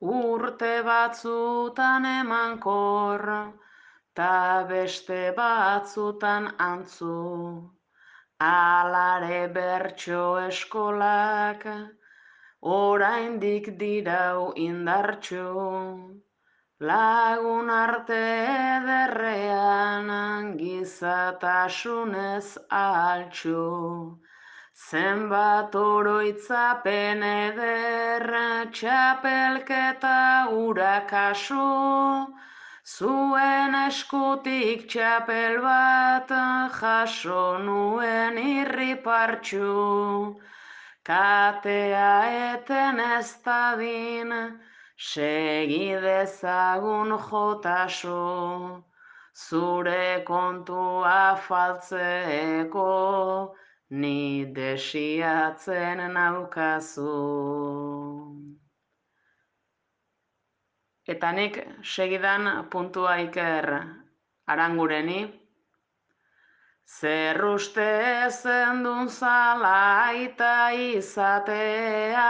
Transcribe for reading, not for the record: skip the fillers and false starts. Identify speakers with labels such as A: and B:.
A: urte batzutan emankor, ta beste batzutan antzu. Alare bertso eskolak, oraindik dirau indartxu. Lagun arte ederrean, gizatasunez altxu. Zenbat oroitzapen eder, txapelketa urakasu, zuen eskutik txapel bat jaso nuen irripartxu. Katea eten ez dadin, segi dezagun jotasu, zure kontua faltzeko, ni desiatzen naukazu. Eta nik segidan puntua Iker Arangureni. Zer uste zendun zala aita izatea,